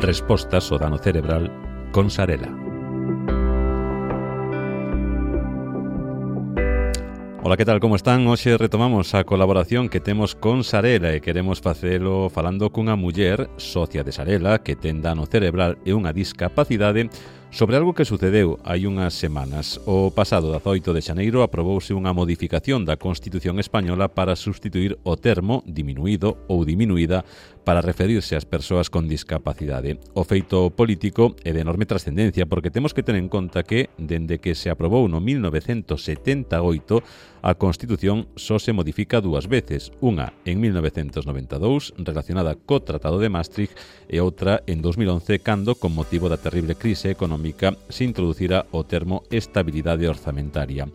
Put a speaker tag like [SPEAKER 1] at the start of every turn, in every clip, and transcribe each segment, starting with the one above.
[SPEAKER 1] Respostas ao dano cerebral con Sarela. Ola, que tal, como están? Hoxe retomamos a colaboración que temos con Sarela e queremos facelo falando cunha muller socia de Sarela que ten dano cerebral e unha discapacidade sobre algo que sucedeu hai unhas semanas. O pasado 18 de xaneiro aprobouse unha modificación da Constitución española para substituir o termo diminuído ou diminuída para referirse ás persoas con discapacidade. O feito político é de enorme trascendencia porque temos que ter en conta que, dende que se aprobou no 1978, a Constitución só se modifica dúas veces, unha en 1992 relacionada co Tratado de Maastricht e outra en 2011 cando, con motivo da terrible crise económica, se introducira o termo estabilidade orzamentaria.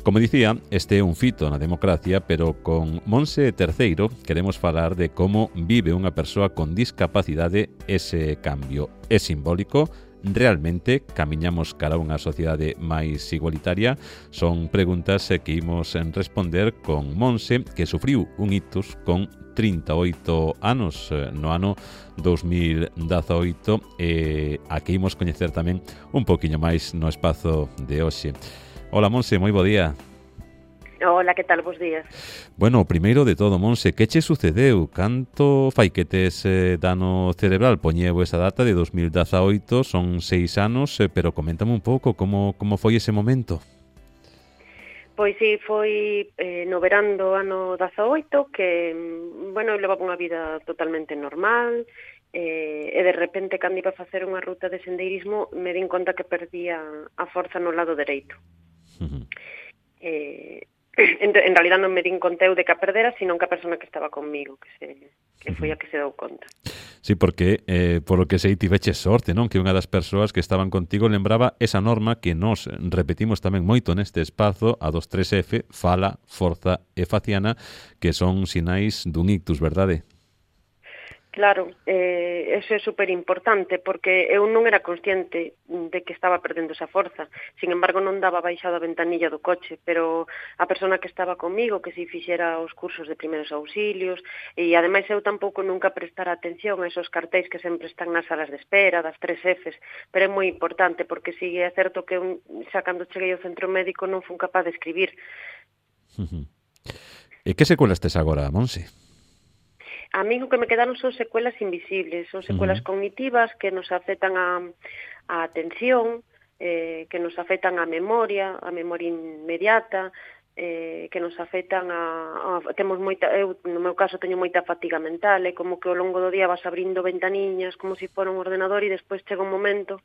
[SPEAKER 1] Como dicía, este é un fito na democracia, pero con Monse Terceiro queremos falar de como vive unha persoa con discapacidade ese cambio. É simbólico? Realmente camiñamos cara a unha sociedade máis igualitaria? Son preguntas que imos responder con Monse, que sufriu un ictus con 38 anos no ano 2018 e a que imos coñecer tamén un poquinho máis no espazo de hoxe. Hola, Monse, moi bo día.
[SPEAKER 2] Hola, que tal? Bos días.
[SPEAKER 1] Bueno, primeiro de todo, Monse, que che sucedeu? Canto fai que tes dano cerebral? Poñeu esa data de 2018, son 6 anos, pero coméntame un pouco como foi ese momento.
[SPEAKER 2] Pois sí, foi no verán do ano 18 que, bueno, eu levaba unha vida totalmente normal e de repente, cando iba a facer unha ruta de sendeirismo, me din conta que perdía a forza no lado dereito. En realidad non me din conta eu de que a perdera, sino que a persona que estaba conmigo, que foi a que se deu conta.
[SPEAKER 1] Sí, porque, por lo que sei, tiveche sorte, non? Que unha das persoas que estaban contigo lembraba esa norma que nos repetimos tamén moito neste espazo, a dos 3F, fala, forza e faciana, que son sinais dun ictus, verdade?
[SPEAKER 2] Claro, eso é super importante porque eu non era consciente de que estaba perdendo esa forza. Sin embargo, non daba baixado a ventanilla do coche, pero a persona que estaba comigo, que si fixera os cursos de primeiros auxilios, e ademais eu tampouco nunca prestara atención a esos cartéis que sempre están nas salas de espera, das 3Fs, pero é moi importante porque si é certo que eu, xa cando cheguei ao centro médico non fun capaz de escribir.
[SPEAKER 1] E que secuelas tes agora, Monse?
[SPEAKER 2] A mí o que me quedaron son secuelas invisibles, son secuelas cognitivas que nos afectan a atención, que nos afectan a memoria inmediata, que nos afectan temos moita, eu no meu caso teño moita fatiga mental, é como que ao longo do día vas abrindo ventaniñas como se fora un ordenador e despois chega un momento,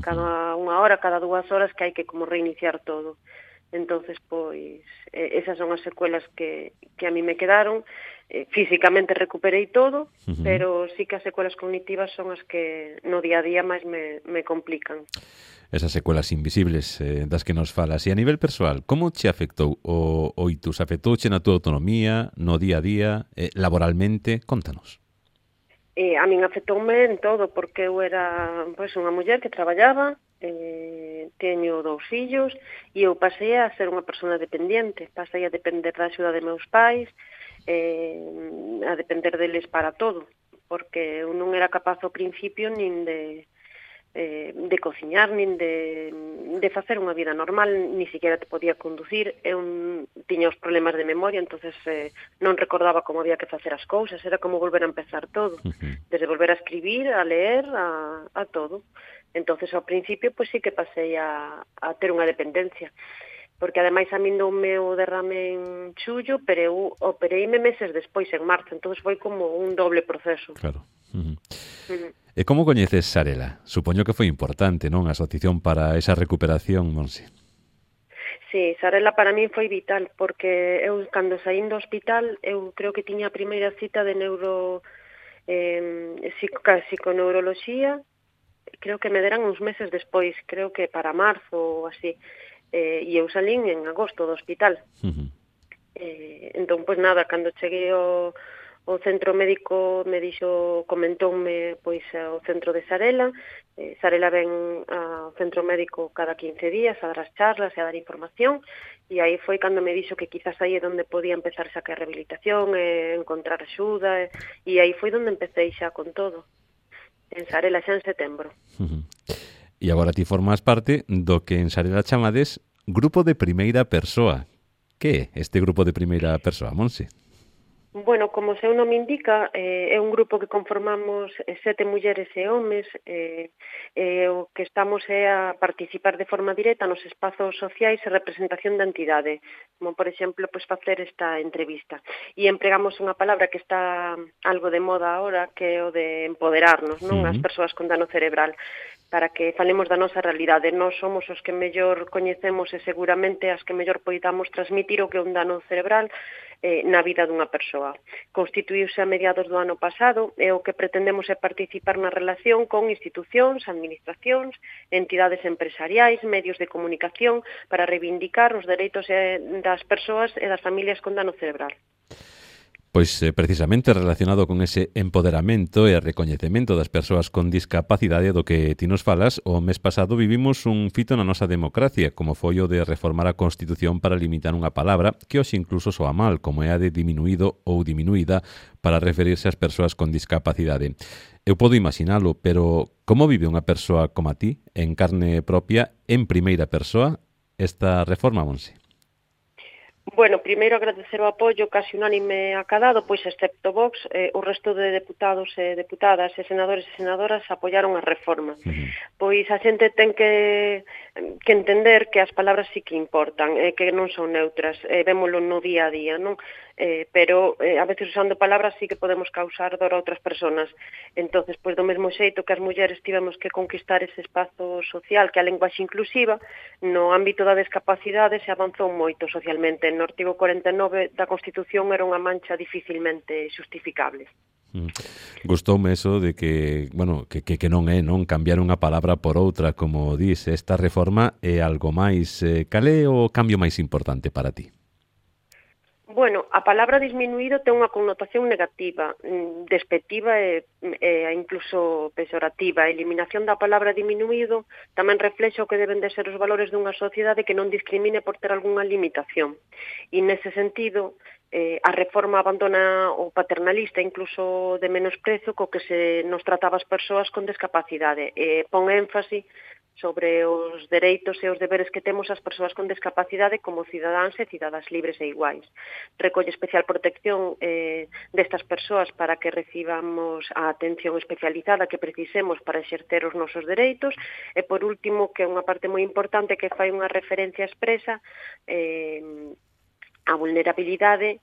[SPEAKER 2] cada unha hora, cada 2 horas, que hai que como reiniciar todo. Entonces, pois, esas son as secuelas que a mí me quedaron. Físicamente recuperei todo, pero sí que as secuelas cognitivas son as que no día a día máis me complican.
[SPEAKER 1] Esas secuelas invisibles das que nos falas. E a nivel persoal, como che afectou o ictus? Afectouche na tua autonomía, no día a día, laboralmente? Contanos.
[SPEAKER 2] A min afectoume en todo, porque eu era unha muller que traballaba, teño 2 fillos, e eu pasei a ser unha persona dependiente, pasei a depender da axuda de meus pais, a depender deles para todo, porque eu non era capaz ao principio nin de cociñar, nin de facer unha vida normal, ni siquiera te podía conducir, eu tiña os problemas de memoria, entonces non recordaba como había que facer as cousas, era como volver a empezar todo, desde volver a escribir, a leer, a todo. Entonces ao principio pois sí que pasei a ter unha dependencia, porque ademais a min doume o derrame en xullo, pero eu opereime meses despois, en marzo, entonces foi como un doble proceso.
[SPEAKER 1] Claro. E como coñeces Sarela? Supoño que foi importante, non? A asociación para esa recuperación, Monse.
[SPEAKER 2] Sí, Sarela para min foi vital, porque eu, cando saín do hospital, eu creo que tiña a primeira cita de psiconeuroloxía, creo que me deran uns meses despois, creo que para marzo ou así, e eu salín en agosto do hospital. Entón, pois nada, cando cheguei ao centro médico me comentoume pois ao centro de Sarela. Sarela ven ao centro médico cada 15 días a dar as charlas e a dar información, e aí foi cando me dixo que quizás aí é onde podía empezar xa que a rehabilitación, encontrar axuda, e aí foi onde empecé xa con todo. en Sarela xa en setembro.
[SPEAKER 1] E agora ti formas parte do que en Sarela chamades Grupo de Primeira Persoa. Que é este grupo de primeira persoa, Monse?
[SPEAKER 2] Bueno, como o seu nome indica, é un grupo que conformamos 7 mulleres e homes, o que estamos é a participar de forma directa nos espazos sociais e representación da entidade, como por exemplo, pois facer esta entrevista. E empregamos unha palabra que está algo de moda ahora, que é o de empoderarnos, non? As persoas con dano cerebral, para que falemos da nosa realidade. Nós somos os que mellor coñecemos e seguramente as que mellor poidamos transmitir o que é un dano cerebral na vida dunha persoa. Constituíuse a mediados do ano pasado e o que pretendemos é participar na relación con institucións, administracións, entidades empresariais, medios de comunicación para reivindicar os dereitos das persoas e das familias con dano cerebral.
[SPEAKER 1] Pois precisamente relacionado con ese empoderamento e recoñecemento das persoas con discapacidade do que ti nos falas, o mes pasado vivimos un fito na nosa democracia, como foi o de reformar a Constitución para limitar unha palabra que hoxe incluso soa mal, como é a de diminuído ou diminuída, para referirse ás persoas con discapacidade. Eu podo imaginalo, pero como vive unha persoa como a ti, en carne propia, en primeira persoa, esta reforma, Monse?
[SPEAKER 2] Bueno, primeiro agradecer o apoio casi unánime acadado, pois excepto Vox, o resto de deputados e deputadas e senadores e senadoras apoiaron a reforma. Pois a xente ten que entender que as palabras sí que importan, que non son neutras, vémolo no día a día, non? Pero a veces usando palabras sí que podemos causar dor a outras persoas. Entonces, pois do mesmo xeito que as mulleres tivemos que conquistar ese espazo social que a linguaxe inclusiva, no ámbito da discapacidade se avanzou moito socialmente. No artigo 49 da Constitución era unha mancha dificilmente xustificable.
[SPEAKER 1] Gustoume eso de que, bueno, que non é, non cambiar unha palabra por outra, como dis, esta reforma é algo máis. Cal é o cambio máis importante para ti?
[SPEAKER 2] Bueno, a palabra disminuído ten unha connotación negativa, despectiva e incluso pejorativa. A eliminación da palabra diminuído tamén reflexa o que deben de ser os valores dunha sociedade que non discrimine por ter algunha limitación. E nese sentido, a reforma abandona o paternalista, incluso de menosprezo, co que se nos trataba as persoas con discapacidade. Pon énfase sobre os dereitos e os deberes que temos as persoas con discapacidade como cidadáns e cidadás libres e iguais. Recolle especial protección destas persoas para que recibamos a atención especializada que precisemos para exercer os nosos dereitos e, por último, que é unha parte moi importante que fai unha referencia expresa a vulnerabilidade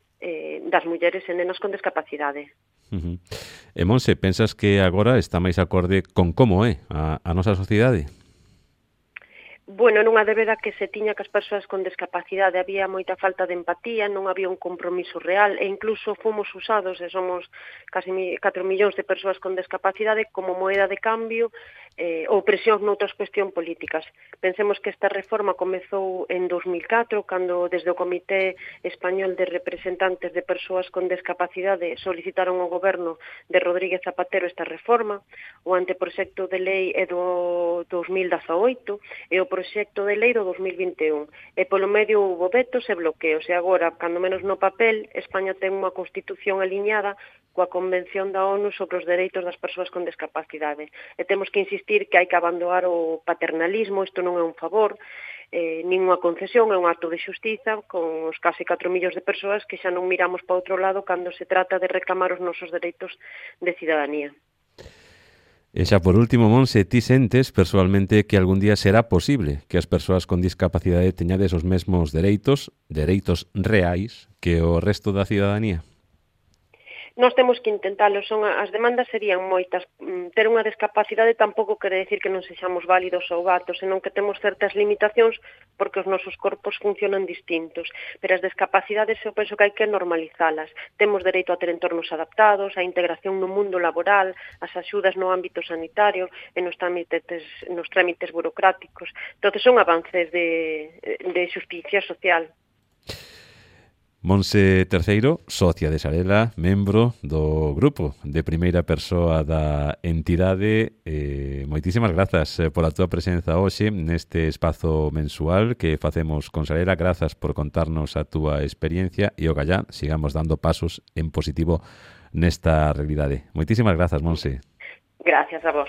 [SPEAKER 2] das mulleres e nenas con discapacidade.
[SPEAKER 1] E Monse, pensas que agora está máis acorde con como é a nosa sociedade?
[SPEAKER 2] Bueno, nunha débeda que se tiña que as persoas con discapacidade había moita falta de empatía, non había un compromiso real e incluso fomos usados, e somos casi 4 millóns de persoas con discapacidade, como moeda de cambio ou presión noutras cuestións políticas. Pensemos que esta reforma comezou en 2004, cando desde o Comité Español de Representantes de Persoas con Discapacidade solicitaron ao goberno de Rodríguez Zapatero esta reforma. O anteproxecto de lei é do 2018 e o proxecto de lei do 2021. E polo medio houve vetos e bloqueos. E agora, cando menos no papel, España ten unha constitución aliñada coa Convención da ONU sobre os dereitos das persoas con discapacidade. E temos que insistir que hai que abandonar o paternalismo, isto non é un favor, nin unha concesión, é un acto de xustiza con os casi 4 millóns de persoas que xa non miramos para outro lado cando se trata de reclamar os nosos dereitos de cidadanía.
[SPEAKER 1] E xa por último, Monse, ti sentes persoalmente que algún día será posible que as persoas con discapacidade teñades os mesmos dereitos reais que o resto da cidadanía?
[SPEAKER 2] Nós temos que intentalo, as demandas serían moitas. Ter unha discapacidade tampouco quere decir que non sexamos válidos ou aptos, senón que temos certas limitacións porque os nosos corpos funcionan distintos. Pero as discapacidades eu penso que hai que normalizalas. Temos dereito a ter entornos adaptados, a integración no mundo laboral, as axudas no ámbito sanitario e nos trámites burocráticos. Entón, son avances de xusticia social.
[SPEAKER 1] Monse Terceiro, socia de Sarela, membro do grupo de primeira persoa da entidade. Moitísimas grazas pola túa presenza hoxe neste espazo mensual que facemos con Sarela. Grazas por contarnos a túa experiencia e ogallá sigamos dando pasos en positivo nesta realidade. Moitísimas grazas, Monse.
[SPEAKER 2] Gracias a vos.